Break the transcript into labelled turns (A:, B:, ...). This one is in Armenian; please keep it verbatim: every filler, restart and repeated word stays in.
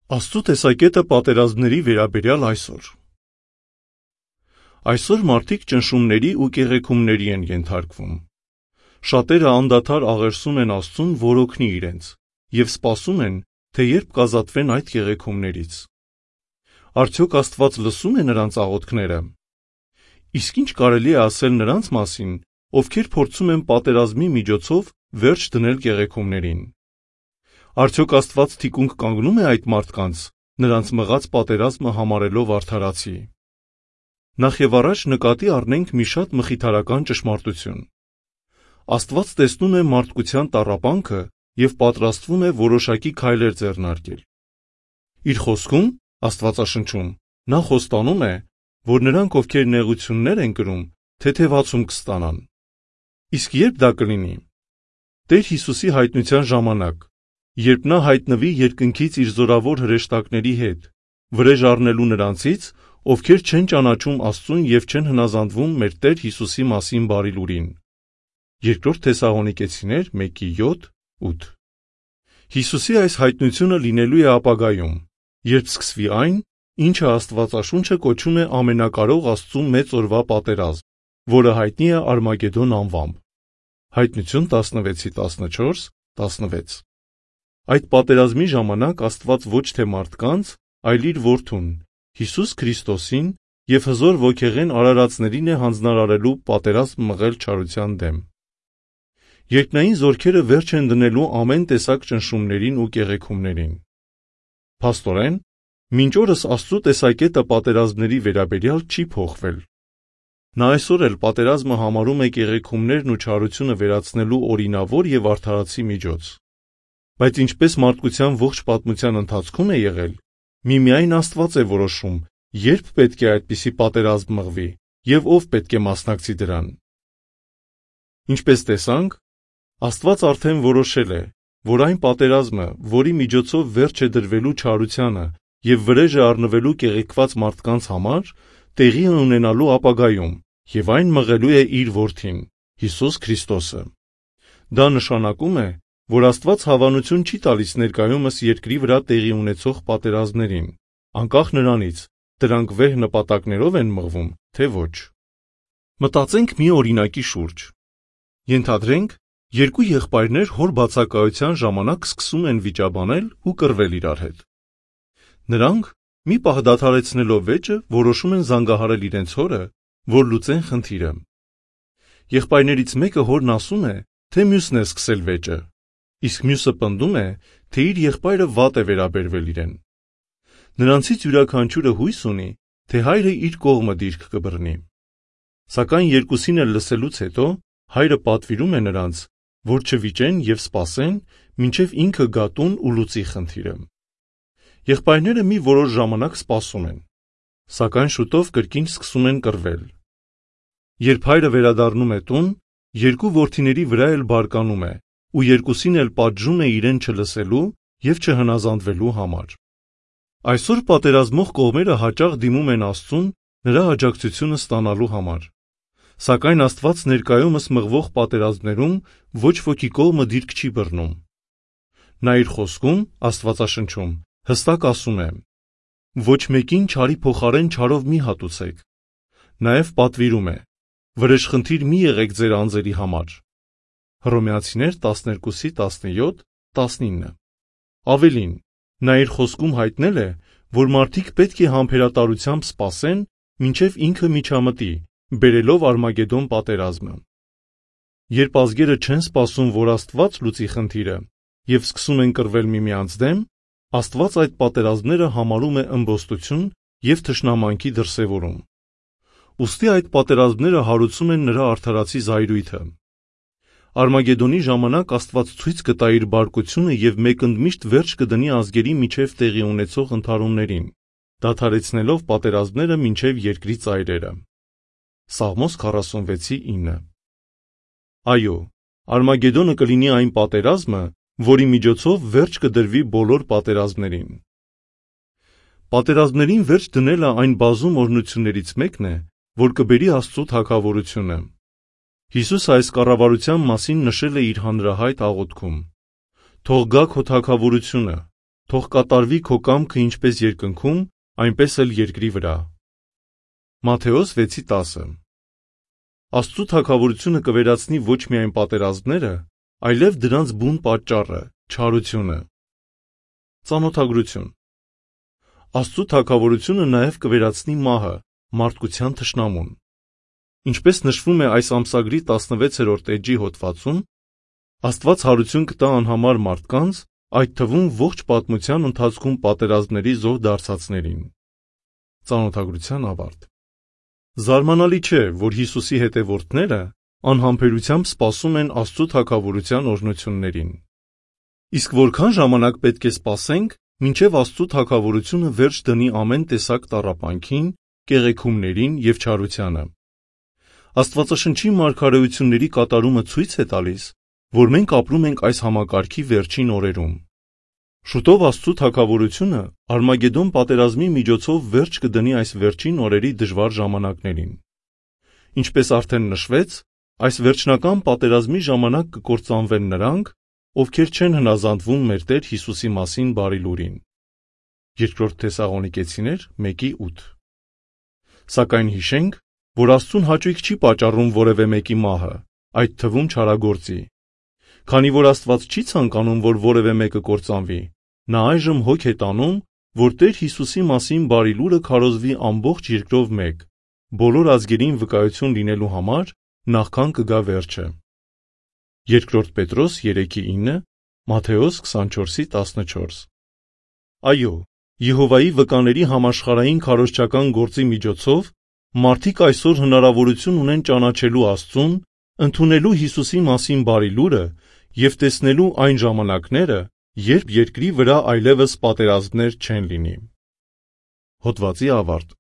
A: Աստծո տեսակետը պատերազմների վերաբերյալ այսօր։ Այսօր մարդիկ ճնշումների ու կեղեքումների են ենթարկվում։ Շատերը անդադար աղերսում են Աստծուն, որ օգնի իրենց, եւ սպասում են, թե երբ կազատվեն այդ կեղեքումներից։ Արդյոք Աստված լսում է նրանց աղոթքները։ Իսկ ինչ կարելի է ասել նրանց մասին, ովքեր փորձում են պատերազմի միջոցով վերջ դնել կեղեքումներին։ Արդյոք Աստված թիկունք կանգնում է այդ մարդկանց, նրանց մղած պատերազմը համարելով արդարացի։ Նախ եւ առաջ նկատի առնենք մի շատ մխիթարական ճշմարտություն։ Աստված տեսնում է մարդկության տառապանքը եւ պատրաստվում է որոշակի քայլեր ձեռնարկել։ Իր խոսքում, Աստվածաշնչում, նա խոստանում է, որ նրանք, ովքեր նեղություններ են կրում, թեթևացում կստանան։ Իսկ երբ դա կլինի։ Տեր Հիսուսի հայտնության ժամանակ, երբ նա հայտնվի երկնքից իր զորավոր հրեշտակների հետ, վրեժ առնելու նրանցից, ովքեր չեն ճանաչում Աստծուն եւ չեն հնազանդվում մեր Տեր Հիսուսի մասին բարի լուրին։ Երկրորդ Թեսաղոնիկեցիներ մեկի յոթ ութ։ Հիսուսի այս հայտնությունը լինելու է ապագայում, երբ սկսվի այն, ինչը Աստվածաշունչը կոչում է ամենակարող Աստծու մեծ օրվա պատերազմ, որը հայտնի է Արմագեդոն անվամբ։ Հայտնություն տասնվեցի տասնչորս տասնվեց։ Այդ պատերազմի ժամանակ Աստված ոչ թե մարդկանց, այլ իր որդուն, Հիսուս Քրիստոսին եւ հզոր ոգեղեն արարածներին է հանձնարարելու պատերազմ մղել չարության դեմ։ Երկնային զորքերը վերջ են դնելու ամեն տեսակ ճնշումներին ու կեղեքումներին։ Փաստորեն, մինչ օրս Աստծո տեսակետը պատերազմների վերաբերյալ չի փոխվել։ Նա այսօր էլ պատերազմը համարում է կեղեքումներն ու չարությունը վերացնելու օրինավոր եւ արդարացի միջոց։ Բայց ինչպես մարդկության ողջ պատմության ընթացքում է եղել, միմիայն Աստված է որոշում, երբ պետք է այդպիսի պատերազմ մղվի եւ ով պետք է մասնակցի դրան։ Ինչպես տեսանք, Աստված արդեն որոշել է, որ այն պատերազմը, որի միջոցով վերջ է դրվելու չարությանը եւ վրեժը առնվելու կեղեքված մարդկանց համար, տեղի է ունենալու ապագայում եւ այն մղելու է իր որդին, Հիսուս Քրիստոսը։ Դա նշանակում է, որ Աստված հավանություն չի տալիս ներկայումս երկրի վրա տեղի ունեցող պատերազմներին, անկախ նրանից, դրանք վեհ նպատակներով են մղվում, թե ոչ։ Մտածենք մի օրինակի շուրջ։ Ենթադրենք, երկու եղբայրներ հոր բացակայության ժամանակ սկսում են վիճաբանել ու կռվել իրար հետ։ Նրանք, մի պահ դադարեցնելով վեճը, որոշում են զանգահարել իրենց հորը, որ լուծեն խնդիրը։ Եղբայրներից մեկը հորն ասում է, թե մյուսն է սկսել վեճը, իսկ մյուսը պնդում է, թե իր եղբայրը վատ է վերաբերվել իրեն։ Նրանցից յուրաքանչյուրը հույս ունի, թե հայրը իր կողմը դիրք կբռնի։ Սակայն երկուսին էլ լսելուց հետո հայրը պատվիրում է նրանց, որ չվիճեն եւ սպասեն, մինչեւ ինքը գա տուն ու լուծի խնդիրը։ Եղբայրները մի որոշ ժամանակ սպասում են, սակայն շուտով կրկին սկսում են կռվել։ Երբ հայրը վերադառնում է տուն, երկու որդիների վրա էլ բարկանում է ու երկուսին էլ պատժում է իրեն չլսելու եւ չհնազանդվելու համար։ Այսօր պատերազմող կողմերը հաճախ դիմում են Աստծուն նրա աջակցությունը ստանալու համար։ Սակայն Աստված ներկայումս մղվող պատերազմներում ոչ ոքի կողմը դիրք չի բռնում։ Նա իր խոսքում, Աստվածաշնչում, հստակ ասում է. «Ոչ մեկին չարի փոխարեն չարով մի հատուցեք»։ Նաև պատվիրում է. «Վրեժխնդիր մի եղեք ձեր անձերի համար»։ Հռոմեացիներ տասներկուսի տասնյոթ տասնինը։ Ավելին, նա իր խոսքում հայտնել է, որ մարդիկ պետք է համբերատարությամբ սպասեն, մինչև ինքը միջամտի, բերելով Արմագեդոն պատերազմը։ Երբ ազգերը չեն սպասում, որ Աստված լուծի խնդիրը, եւ սկսում են կռվել միմյանց դեմ, Աստված այդ պատերազմները համարում է ըմբոստություն եւ թշնամանքի դրսեւորում։ Ուստի այդ պատերազմները հարուցում են նրա արդարացի զայրույթը։ Արմագեդոնի ժամանակ Աստված ցույց կտա իր բարկությունը եւ մեկընդմիշտ վերջ կդնի ազգերի միջև տեղի ունեցող ընդհարումներին, դադարեցնելով պատերազմները մինչև երկրի ծայրերը։ Սաղմոս քառասունվեցի ինը։ Այո, Արմագեդոնը կլինի այն պատերազմը, որի միջոցով վերջ կդրվի բոլոր պատերազմներին։ Պատերազմներին վերջ դնելը այն բազում օրհնություններից մեկն է, որ կբերի Աստծո թագավորությունը։ Հիսուսը այս կառավարության մասին նշել է իր հանրահայտ աղոթքում. «Թող գա քո թագավորությունը, թող կատարվի քո կամքը ինչպես երկնքում, այնպես էլ երկրի վրա։ Մատթեոս վեցի տասը Աստծու թագավորությունը կվերացնի ոչ միայն պատերազմները, այլև դրանց բուն պատճառը, չարությունը։ Ծանոթագրություն Աստծու թագավորությունը նաև կվերացնի մահը, մարդկության թշնամուն։ Ինչպես նշվում է այս ամսագրի տասնվեցերորդ էջի հոդվածում, Աստված հարություն կտա անհամար մարդկանց, այդ թվում ողջ պատմության ընթացքում պատերազմների զոհ դարձածներին։ Ծանոթագրության ավարտ Զարմանալի չէ, որ Հիսուսի հետևորդները անհամբերությամբ սպասում են Աստծու թագավորության օրհնություններին։ Իսկ որքան ժամանակ պետք է սպասենք, մինչև Աստծու թագավորությունը վերջ դնի ամեն տեսակ տառապանքին, կեղեքումներին և չարությանը։ Աստվածաշնչի մարգարեությունների կատարումը ցույց է տալիս, որ մենք ապրում ենք այս համակարգի վերջին օրերում։ Շուտով Աստծու թագավորությունը Արմագեդոն պատերազմի միջոցով վերջ կդնի այս վերջին օրերի դժվար ժամանակներին։ Ինչպես արդեն նշվեց, այս վերջնական պատերազմի ժամանակ կկործանվեն նրանք, ովքեր չեն հնազանդվում մեր Տեր Հիսուսի մասին բարի լուրին։ Երկրորդ Թեսաղոնիկեցիներ մեկի ութ Սակայն հիշենք, որ Աստծուն հաճույք չի պատճառում որևէ մեկի մահը, այդ թվում չարագործի։ Քանի որ Աստված չի ցանկանում, որ որևէ մեկը կործանվի, նա այժմ հոգ է տանում, որ Տեր Հիսուսի մասին բարի լուրը քարոզվի ամբողջ երկրով մեկ, բոլոր ազգերին վկայություն լինելու համար, նախքան կգա վերջը։ Երկրորդ Պետրոս երեքի ինը, Մատթեոս քսանչորսի տասնչորս Այո, Եհովայի վկաների համաշխարհային քարոզչական գործի միջոցով մարդիկ այսօր հնարավորություն ունեն ճանաչելու Աստծուն, ընդունելու Հիսուսի մասին բարի լուրը և տեսնելու այն ժամանակները, երբ երկրի վրա այլևս պատերազմներ չեն լինի։ Հոդվացի ավարտ